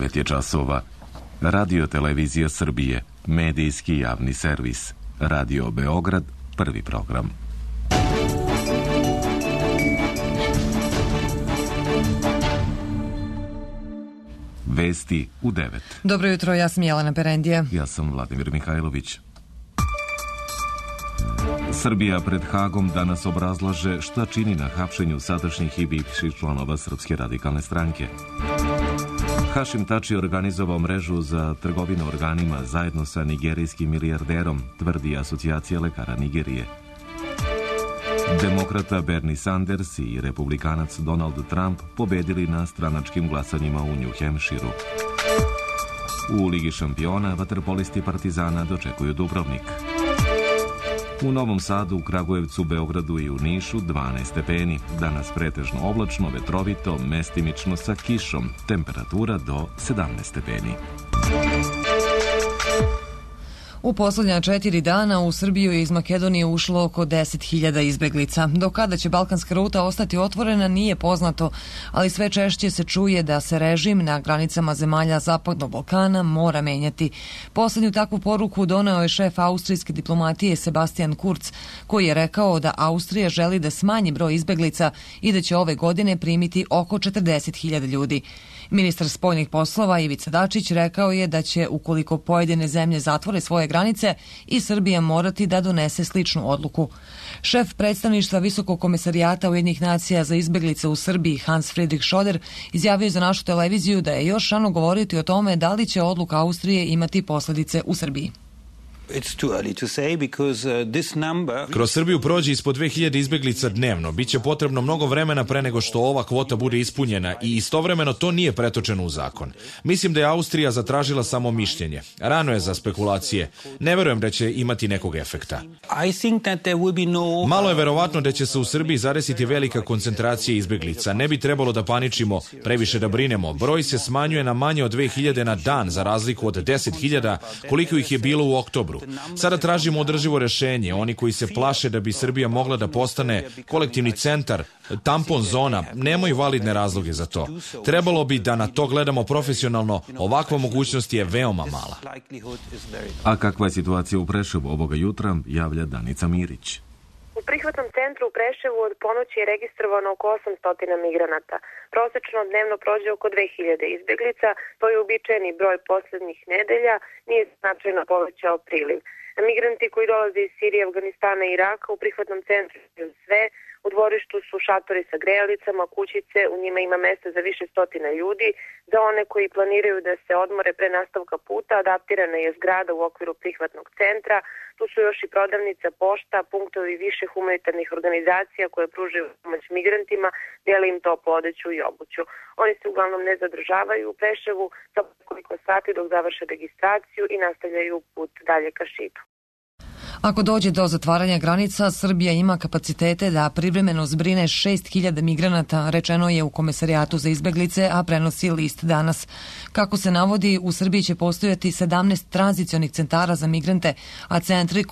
9 je časova. Radio Televizija Srbije, medijski javni servis. Radio Beograd, prvi program. Vesti u 9. Dobro jutro, ja sam Jelena Perendija. Ja sam Vladimir Mihajlović. Srbija pred Hagom danas obrazlaže šta čini na hapšenju sadašnjih i bivših članova Srpske radikalne stranke. Hašim Tači organizovao mrežu za trgovinu organima zajedno sa nigerijskim milijarderom, tvrdi Asocijacija lekara Nigerije. Demokrata Bernie Sanders i republikanac Donald Trump pobedili na stranačkim glasanjima u New Hampshireu. U Ligi šampiona vaterpolisti Partizana dočekuju Dubrovnik. U Novom Sadu, Kragujevcu, Beogradu i u Nišu 12 stepeni. Danas pretežno oblačno, vetrovito, mestimično sa kišom. Temperatura do 17 stepeni. U posljednja 4 dana u Srbiju je iz Makedonije ušlo oko 10.000 izbeglica. Do kada će balkanska ruta ostati otvorena nije poznato, ali sve češće se čuje da se režim na granicama zemalja Zapadnog Balkana mora menjati. Posljednju takvu poruku doneo je šef austrijske diplomatije Sebastian Kurz, koji je rekao da Austrija želi da smanji broj izbeglica i da će ove godine primiti oko 40.000 ljudi. Ministar spoljnih poslova Ivica Dačić rekao je da će, ukoliko pojedine zemlje zatvore svoje granice, i Srbija morati da donese sličnu odluku. Šef predstavništva Visokog komesarijata Ujedinjenih nacija za izbeglice u Srbiji Hans Friedrich Schoder izjavio za našu televiziju da je još rano govoriti o tome da li će odluka Austrije imati posljedice u Srbiji. Kroz Srbiju prođe ispod 2000 izbeglica dnevno. Biće potrebno mnogo vremena pre nego što ova kvota bude ispunjena i istovremeno to nije pretočeno u zakon. Mislim da je Austrija zatražila samo mišljenje. Rano je za spekulacije. Ne verujem da će imati nekog efekta. Malo je verovatno da će se u Srbiji zadesiti velika koncentracija izbeglica. Ne bi trebalo da paničimo, previše da brinemo. Broj se smanjuje na manje od 2000 na dan, za razliku od 10.000 koliko ih je bilo u oktobru. Sada tražimo održivo rešenje. Oni koji se plaše da bi Srbija mogla da postane kolektivni centar, tampon zona, nemaju validne razloge za to. Trebalo bi da na to gledamo profesionalno. Ovakva mogućnost je veoma mala. A kakva je situacija u Preševu ovoga jutra, javlja Danica Mirić. U prihvatnom centru u Preševu od ponoći je registrovano oko 800 migranata. Prosečno dnevno prođe oko 2000 izbeglica, to je uobičajeni broj posljednjih nedelja, nije značajno povećao priliv. Migranti koji dolaze iz Sirije, Afganistana i Iraka u prihvatnom centru sve. U dvorištu su šatori sa grejalicama, kućice, u njima ima mesta za više stotina ljudi. Za one koji planiraju da se odmore pre nastavka puta, adaptirana je zgrada u okviru prihvatnog centra. Tu su još i prodavnica, pošta, punktovi više humanitarnih organizacija koje pružaju pomoć migrantima, dele im toplu odeću i obuću. Oni se uglavnom ne zadržavaju u Preševu za koliko sati dok završe registraciju i nastavljaju put dalje ka Šidu. Ako dođe do zatvaranja granica, Srbija ima kapacitete da privremeno zbrine 6.000 migranata, rečeno je u Komesarijatu za izbeglice, a prenosi List danas. Kako se navodi, u Srbiji će postojati 17 tranzicionih centara za migrante, a centri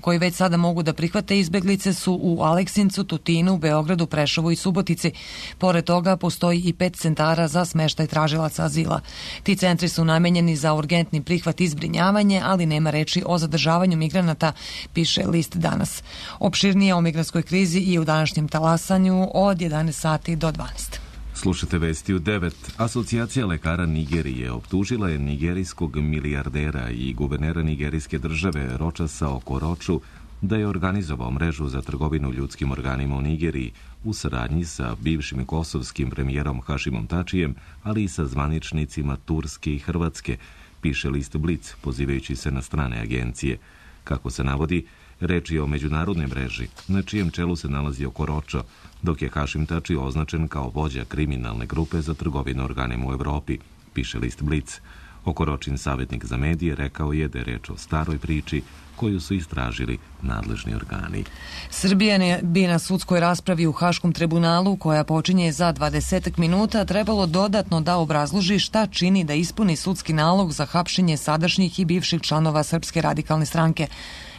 koji već sada mogu da prihvate izbeglice su u Aleksincu, Tutinu, Beogradu, Preševu i Subotici. Pored toga postoji i 5 centara za smeštaj tražilaca azila. Ti centri su namenjeni za urgentni prihvat i zbrinjavanje, ali nema reči o zadržavanju migranata, piše List danas. Opširnije o migrantskoj krizi i u današnjem talasanju od 11 sati do 12. Slušate vesti u 9. Asocijacija lekara Nigerije optužila je nigerijskog milijardera i guvernera nigerijske države Rochasa Okorochu da je organizovao mrežu za trgovinu ljudskim organima u Nigeriji u saradnji sa bivšim kosovskim premijerom Hašimom Tačijem, ali i sa zvaničnicima Turske i Hrvatske, piše list Blic, pozivajući se na strane agencije. Kako se navodi, reč je o međunarodnoj mreži, na čijem čelu se nalazi Okoročo, dok je Hašim Tači označen kao vođa kriminalne grupe za trgovinu organima u Evropi, piše list Blic. Okoročin savjetnik za medije rekao je da je reč o staroj priči koju su istražili nadležni organi. Srbija bi na sudskoj raspravi u Haškom tribunalu, koja počinje za 20 minuta, trebalo dodatno da obrazloži šta čini da ispuni sudski nalog za hapšenje sadašnjih i bivših članova Srpske radikalne stranke.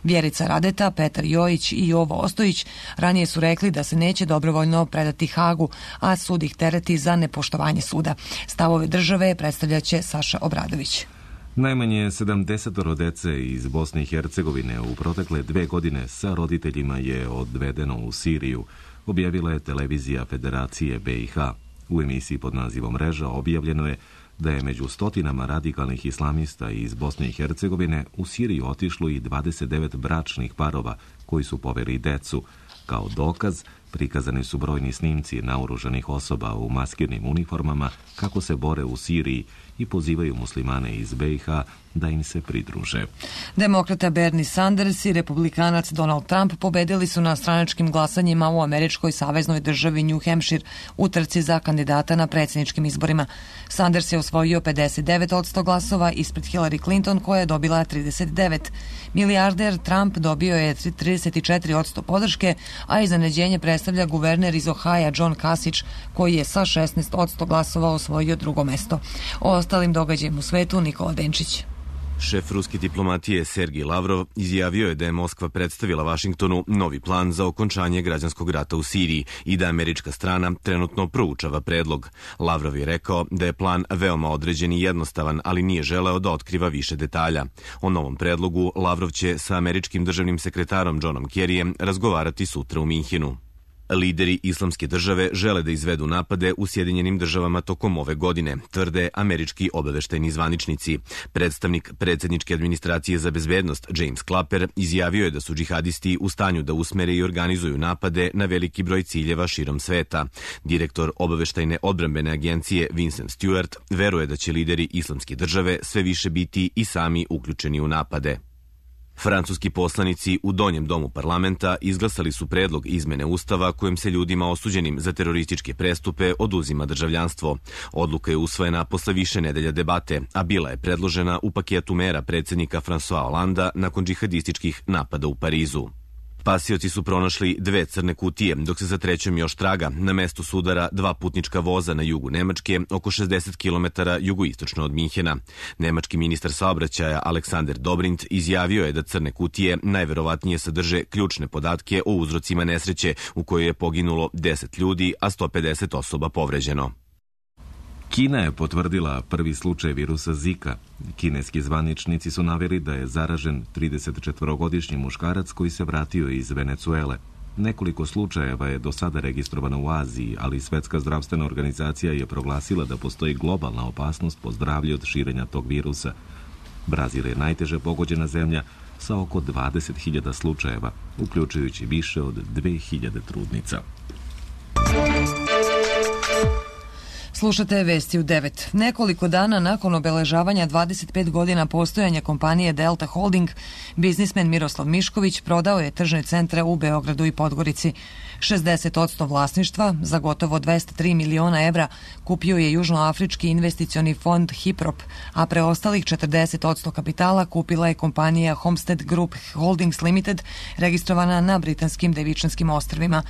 Vjerica Radeta, Petar Jojić i Jovo Ostojić ranije su rekli da se neće dobrovoljno predati Hagu, a sud ih tereti za nepoštovanje suda. Stavove države predstavljaće Saša Obradović. Najmanje 70 dece iz Bosne i Hercegovine u protekle 2 godine sa roditeljima je odvedeno u Siriju, objavila je televizija Federacije BiH. U emisiji pod nazivom Mreža objavljeno je da je među stotinama radikalnih islamista iz Bosne i Hercegovine u Siriju otišlo i 29 bračnih parova koji su poveli decu. Kao dokaz prikazani su brojni snimci naoružanih osoba u maskirnim uniformama kako se bore u Siriji i pozivaju muslimane iz BiH da im se pridruže. Demokrata Bernie Sanders i republikanac Donald Trump pobedili su na stranačkim glasanjima u američkoj saveznoj državi New Hampshire u trci za kandidata na predsjedničkim izborima. Sanders je osvojio 59% glasova ispred Hillary Clinton koja je dobila 39%. Milijarder Trump dobio je 34% podrške, a iznenađenje predstavlja guverner iz Ohaja John Kasich koji je sa 16% glasova osvojio drugo mesto. O ostalim događajima u svetu Nikola Denčić. Šef ruske diplomatije Sergij Lavrov izjavio je da je Moskva predstavila Vašingtonu novi plan za okončanje građanskog rata u Siriji i da američka strana trenutno proučava predlog. Lavrov je rekao da je plan veoma određen i jednostavan, ali nije želeo da otkriva više detalja. O novom predlogu Lavrov će sa američkim državnim sekretarom Johnom Kerryjem razgovarati sutra u Minhenu. Lideri Islamske države žele da izvedu napade u Sjedinjenim državama tokom ove godine, tvrde američki obaveštajni zvaničnici. Predstavnik predsjedničke administracije za bezbednost James Clapper izjavio je da su džihadisti u stanju da usmere i organizuju napade na veliki broj ciljeva širom sveta. Direktor obaveštajne odbrambene agencije Vincent Stewart veruje da će lideri Islamske države sve više biti i sami uključeni u napade. Francuski poslanici u Donjem domu parlamenta izglasali su predlog izmene ustava kojim se ljudima osuđenim za terorističke prestupe oduzima državljanstvo. Odluka je usvojena posle više nedelja debate, a bila je predložena u paketu mera predsjednika François Hollanda nakon džihadističkih napada u Parizu. Spasioci su pronašli 2 crne kutije, dok se za trećom još traga na mestu sudara 2 putnička voza na jugu Nemačke, oko 60 km jugoistočno od Minhena. Nemački ministar saobraćaja Alexander Dobrindt izjavio je da crne kutije najverovatnije sadrže ključne podatke o uzrocima nesreće u kojoj je poginulo 10 ljudi, a 150 osoba povređeno. Kina je potvrdila prvi slučaj virusa Zika. Kineski zvaničnici su naveli da je zaražen 34-godišnji muškarac koji se vratio iz Venecuele. Nekoliko slučajeva je do sada registrovano u Aziji, ali Svetska zdravstvena organizacija je proglasila da postoji globalna opasnost po zdravlje od širenja tog virusa. Brazil je najteže pogođena zemlja sa oko 20.000 slučajeva, uključujući više od 2.000 trudnica. Slušate vesti u 9. Nekoliko dana nakon obeležavanja 25 godina postojanja kompanije Delta Holding, biznismen Miroslav Mišković prodao je tržne centre u Beogradu i Podgorici. 60% vlasništva, za gotovo 203 miliona evra, kupio je južnoafrički investicioni fond Hiprop, a preostalih 40% kapitala kupila je kompanija Homestead Group Holdings Limited, registrovana na Britanskim Devičanskim ostrvima.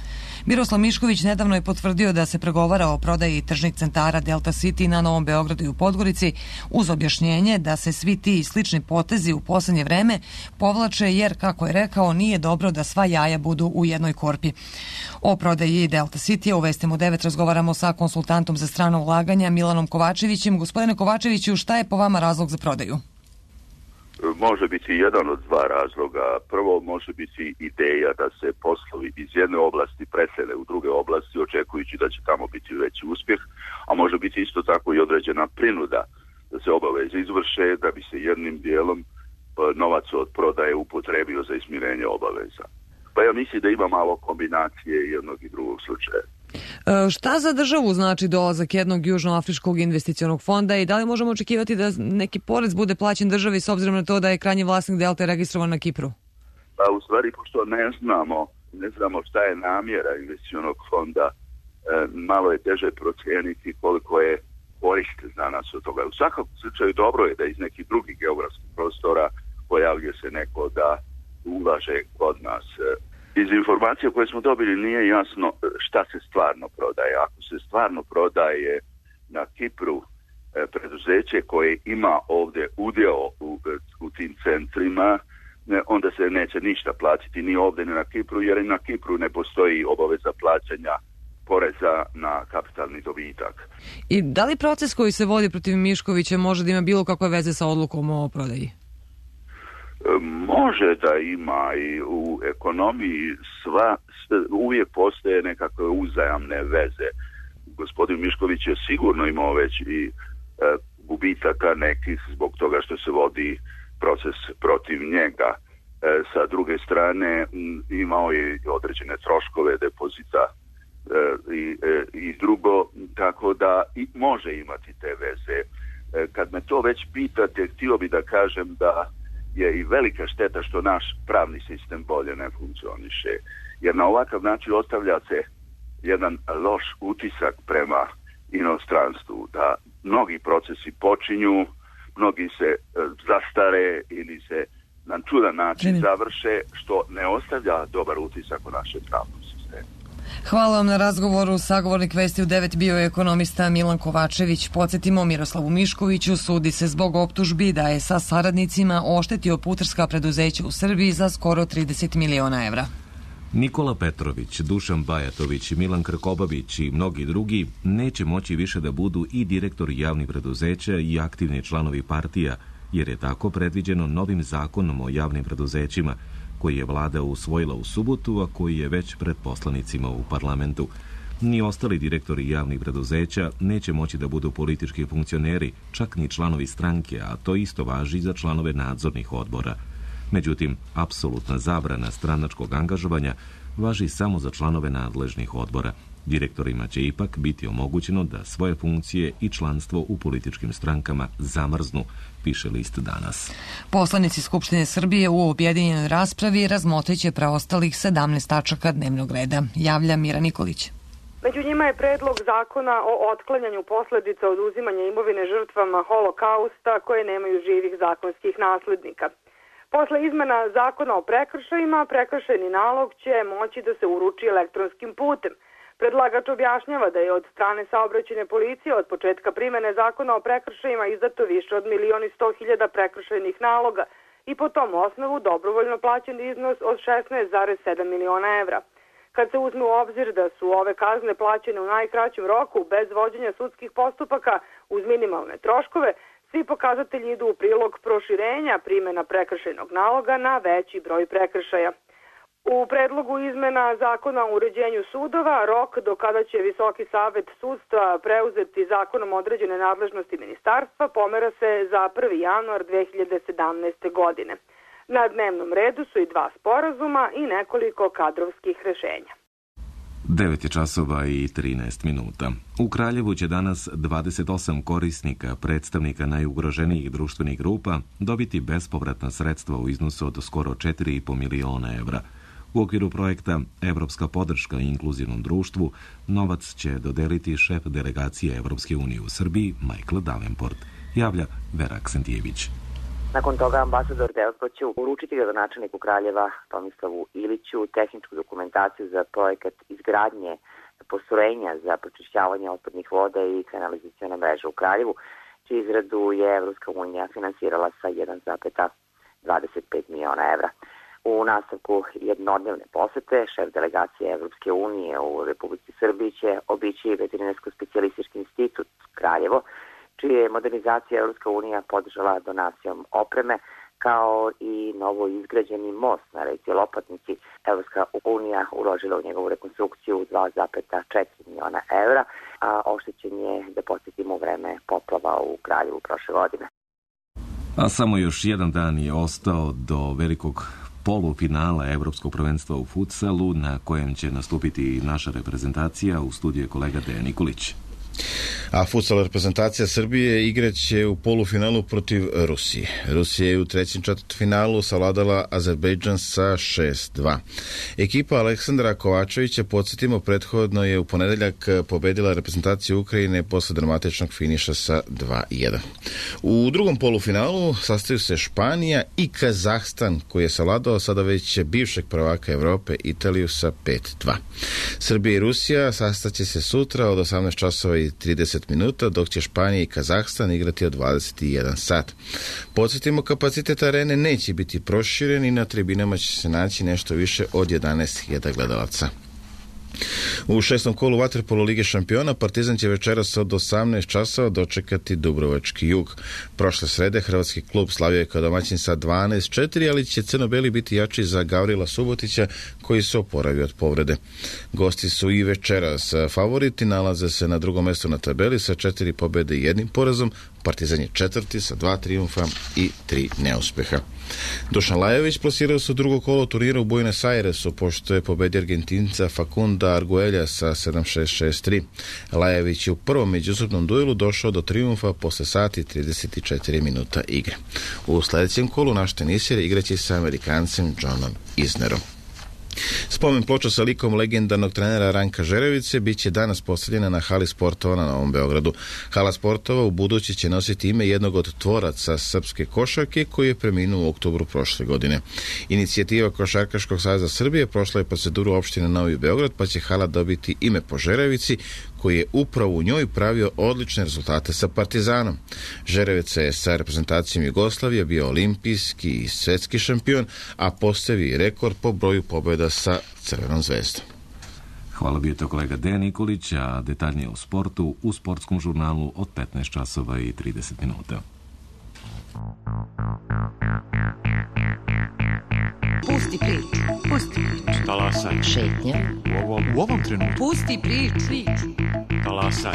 Miroslav Mišković nedavno je potvrdio da se pregovara o prodaji tržnih centara Delta City na Novom Beogradu i u Podgorici, uz objašnjenje da se svi ti slični potezi u poslednje vreme povlače jer, kako je rekao, nije dobro da sva jaja budu u jednoj korpi. O prodaji Delta City u Vestima u 9 razgovaramo sa konsultantom za strano ulaganja Milanom Kovačevićem. Gospodine Kovačeviću, šta je po vama razlog za prodaju? Može biti jedan od 2 razloga. Prvo, može biti ideja da se poslovi iz jedne oblasti presele u druge oblasti, očekujući da će tamo biti veći uspjeh, a može biti isto tako i određena prinuda da se obaveze izvrše, da bi se jednim dijelom novac od prodaje upotrebio za izmirenje obaveza. Pa ja mislim da ima malo kombinacije jednog i drugog slučaja. Šta za državu znači dolazak jednog južnoafričkog investicionog fonda i da li možemo očekivati da neki porez bude plaćen državi s obzirom na to da je krajnji vlasnik Delta registrovan na Kipru? Pa u stvari, pošto ne znamo šta je namjera investicionog fonda, malo je teže procijeniti koliko je korist za nas od toga. U svakom slučaju dobro je da iz nekih drugih geografskih prostora pojavljuje se neko da ulaže kod nas. Iz informacija koje smo dobili nije jasno šta se stvarno prodaje. Ako se stvarno prodaje na Kipru preduzeće koje ima ovdje udjeo u tim centrima, onda se neće ništa platiti ni ovdje ni na Kipru, jer i na Kipru ne postoji obaveza plaćanja poreza na kapitalni dobitak. I da li proces koji se vodi protiv Miškovića može da ima bilo kakve veze sa odlukom o prodaji? Može da ima, i u ekonomiji uvijek postoje nekakve uzajamne veze. Gospodin Mišković je sigurno imao već i gubitaka nekih zbog toga što se vodi proces protiv njega. Sa druge strane imao je određene troškove depozita i drugo, tako da i može imati te veze. Kad me to već pitate, htio bi da kažem da je i velika šteta što naš pravni sistem bolje ne funkcioniše, jer na ovakav način ostavlja se jedan loš utisak prema inostranstvu, da mnogi procesi počinju, mnogi se zastare ili se na čudan način završe, što ne ostavlja dobar utisak u našem pravnom sistemu. Hvala vam na razgovoru. Sagovornik Vesti u 9 bio je ekonomista Milan Kovačević. Podsjetimo, Miroslavu Miškoviću sudi se zbog optužbi da je sa saradnicima oštetio putarska preduzeća u Srbiji za skoro 30 miliona evra. Nikola Petrović, Dušan Bajatović, Milan Krkobabić i mnogi drugi neće moći više da budu i direktori javnih preduzeća i aktivni članovi partija, jer je tako predviđeno novim zakonom o javnim preduzećima, koji je vlada usvojila u subotu, a koji je već pred poslanicima u parlamentu. Ni ostali direktori javnih preduzeća neće moći da budu politički funkcioneri, čak ni članovi stranke, a to isto važi za članove nadzornih odbora. Međutim, apsolutna zabrana stranačkog angažovanja važi samo za članove nadležnih odbora. Direktorima će ipak biti omogućeno da svoje funkcije i članstvo u političkim strankama zamrznu, piše list Danas. Poslanici Skupštine Srbije u objedinjenoj raspravi razmotrit će preostalih 17 tačaka dnevnog reda, javlja Mira Nikolić. Među njima je predlog zakona o otklanjanju posledica oduzimanja imovine žrtvama holokausta koje nemaju živih zakonskih naslednika. Posle izmena zakona o prekršajima, prekršajni nalog će moći da se uruči elektronskim putem. Predlagač objašnjava da je od strane saobraćajne policije od početka primene zakona o prekršajima izdato više od 1.100.000 prekršajnih naloga i po tom osnovu dobrovoljno plaćen iznos od 16,7 miliona evra. Kad se uzme u obzir da su ove kazne plaćene u najkraćem roku bez vođenja sudskih postupaka uz minimalne troškove, svi pokazatelji idu u prilog proširenja primjena prekršajnog naloga na veći broj prekršaja. U predlogu izmena zakona o uređenju sudova, rok do kada će Visoki savet sudstva preuzeti zakonom određene nadležnosti ministarstva pomera se za 1. januar 2017. godine. Na dnevnom redu su i 2 sporazuma i nekoliko kadrovskih rešenja. 9 je časova i 13 minuta. U Kraljevu će danas 28 korisnika, predstavnika najugroženijih društvenih grupa, dobiti bespovratna sredstva u iznosu od skoro 4,5 miliona evra. U okviru projekta Evropska podrška inkluzivnom društvu novac će dodeliti šef delegacije Evropske unije u Srbiji Michael Davenport, javlja Vera Aksentijević. Nakon toga ambasador Davenport će uručiti gradonačelniku Kraljeva Tomislavu Iliću tehničku dokumentaciju za projekat izgradnje postrojenja za pročišćavanje otpadnih voda i kanalizacione mreže u Kraljevu, čiju izradu je Evropska unija finansirala sa 1,25 miliona evra. U nastavku jednodnevne posete šef delegacije Evropske unije u Republici Srbiji će obići Veterinarsko-specijalistički institut Kraljevo, čije je modernizacija Evropska unija podržala donacijom opreme, kao i novo izgrađeni most na reci Lopatnici. Evropska unija uložila u njegovu rekonstrukciju 2,4 miliona evra, a oštećen je, da podsjetimo, u vreme poplava u Kraljevu prošle godine. A samo još jedan dan je ostao do velikog polufinala Evropskog prvenstva u futsalu, na kojem će nastupiti naša reprezentacija. U studiju je kolega Dejan Nikolić. A futsal reprezentacija Srbije igraće u polufinalu protiv Rusije. Rusija je u trećem četvrtfinalu savladala Azerbejdžan sa 6-2. Ekipa Aleksandra Kovačevića, podsjetimo, prethodno je u ponedeljak pobedila reprezentaciju Ukrajine posle dramatičnog finiša sa 2-1. U drugom polufinalu sastaju se Španija i Kazahstan, koji je savladao sada već bivšeg prvaka Evrope Italiju sa 5-2. Srbija i Rusija sastaće se sutra od 18 časova i 30 minuta, dok će Španija i Kazahstan igrati od 21 sat. Podsjetimo, kapacitet arene neće biti proširen i na tribinama će se naći nešto više od 11.000 gledalaca. U 6. kolu vaterpolo Lige šampiona Partizan će večeras od 18 časova dočekati Dubrovački Jug. Prošle srede hrvatski klub slavio je kao domaćin sa 12-4, ali će crno-beli biti jači za Gavrila Subotića koji se oporavio od povrede. Gosti su i večeras favoriti, nalaze se na drugom mjestu na tabeli sa 4 pobjede i 1 porazom. Partizan je četvrti sa 2 trijumfa i 3 neuspeha. Dušan Lajović plasirao se u drugo kolo turnira u Buenos Airesu, pošto je pobedio Argentinca Facunda Arguelja sa 7-6-6-3. Lajović je u prvom međusobnom duelu došao do trijumfa posle sati 34 minuta igre. U sljedećem kolu naš tenisir igraće sa Amerikancem Johnom Isnerom. Spomen ploča sa likom legendarnog trenera Ranka Žerevice bit će danas postavljena na hali sportova na Novom Beogradu. Hala sportova u budući će nositi ime jednog od tvoraca srpske košarke koji je preminuo u oktobru prošle godine. Inicijativa Košarkaškog saveza Srbije prošla je proceduru opštine Novi Beograd, pa će hala dobiti ime po Žerevici, koji je upravo u njoj pravio odlične rezultate sa Partizanom. Žerevica je sa reprezentacijom Jugoslavije bio olimpijski i svetski šampion, a postavio rekord po broju pobjeda sa Crvenom zvezdom. Hvala, bio to kolega Dejan Nikolić, a detaljnije o sportu u sportskom žurnalu od 15 časova i 30 minuta. Pusti priču. Pusti priču. Talasaj. Šetnja. U ovom trenutku. Pusti priču. Talasaj.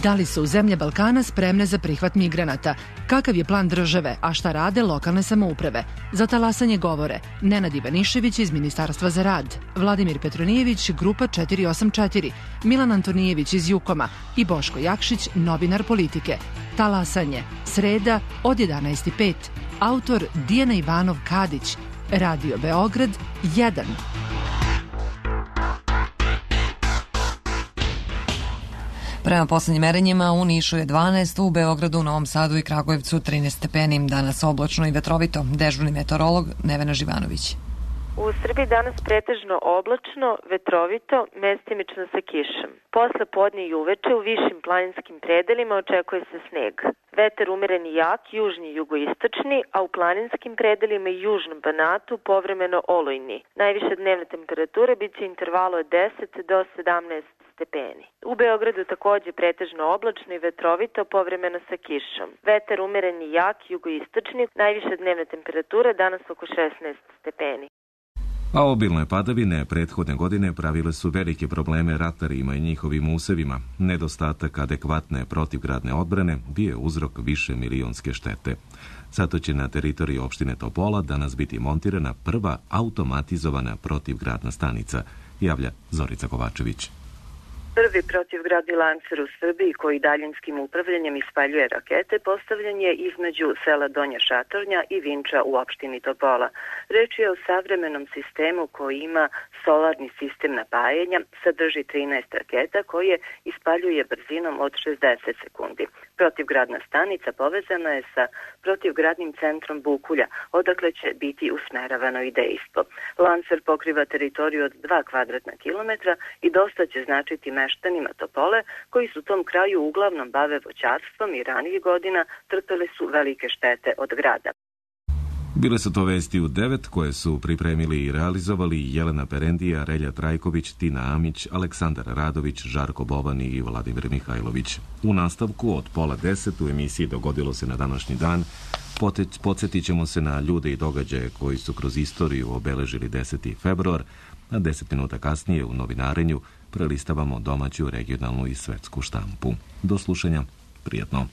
Da li su zemlje Balkana spremne za prihvat migranata? Kakav je plan države, a šta rade lokalne samouprave? Za talasanje govore Nenad Ivanišević iz Ministarstva za rad, Vladimir Petronijević, Grupa 484, Milan Antonijević iz Jukoma i Boško Jakšić, novinar Politike. Talasanje, sreda od 11:05. Autor Dijana Ivanov Kadić. Radio Beograd 1. Prema poslednjim merenjima u Nišu je 12, u Beogradu, Novom Sadu i Kragujevcu 13 stepeni. Danas oblačno i vetrovito. Dežurni meteorolog Nevena Živanović. U Srbiji danas pretežno oblačno, vetrovito, mestimično sa kišom. Posle podne i uveče u višim planinskim predelima očekuje se sneg. Vetar umeren i jak, južni i jugoistočni, a u planinskim predelima i južnom Banatu povremeno olujni. Najviše dnevne temperature bit će intervalu od 10 do 17 stepeni. U Beogradu takođe pretežno oblačno i vetrovito, povremeno sa kišom. Vetar umeren i jak, jugoistočni, najviše dnevne temperature danas oko 16 stepeni. A obilne padavine prethodne godine pravile su velike probleme ratarima i njihovim usevima. Nedostatak adekvatne protivgradne odbrane bio je uzrok više milionske štete. Zato će na teritoriji opštine Topola danas biti montirana prva automatizovana protivgradna stanica, javlja Zorica Kovačević. Prvi protivgradni lancer u Srbiji koji daljinskim upravljanjem ispaljuje rakete postavljen je između sela Donja Šatornja i Vinča u opštini Topola. Reč je o savremenom sistemu koji ima solarni sistem napajanja, sadrži 13 raketa koje ispaljuje brzinom od 60 sekundi. Protivgradna stanica povezana je sa protivgradnim centrom Bukulja, odakle će biti usmeravano i dejstvo. Lancer pokriva teritoriju od 2 kvadratna kilometra i dosta će značiti meštanima Topole, koji su u tom kraju uglavnom bave voćarstvom i ranijih godina trpeli su velike štete od grada. Bile su to vesti u 9 koje su pripremili i realizovali Jelena Perendija, Relja Trajković, Tina Amić, Aleksandar Radović, Žarko Bovan i Vladimir Mihajlović. U nastavku od 9:30 u emisiji Dogodilo se na današnji dan podsjetit ćemo se na ljude i događaje koji su kroz istoriju obeležili 10. februar, a 10 minuta kasnije u novinarenju prelistavamo domaću, regionalnu i svetsku štampu. Do slušanja, prijatno.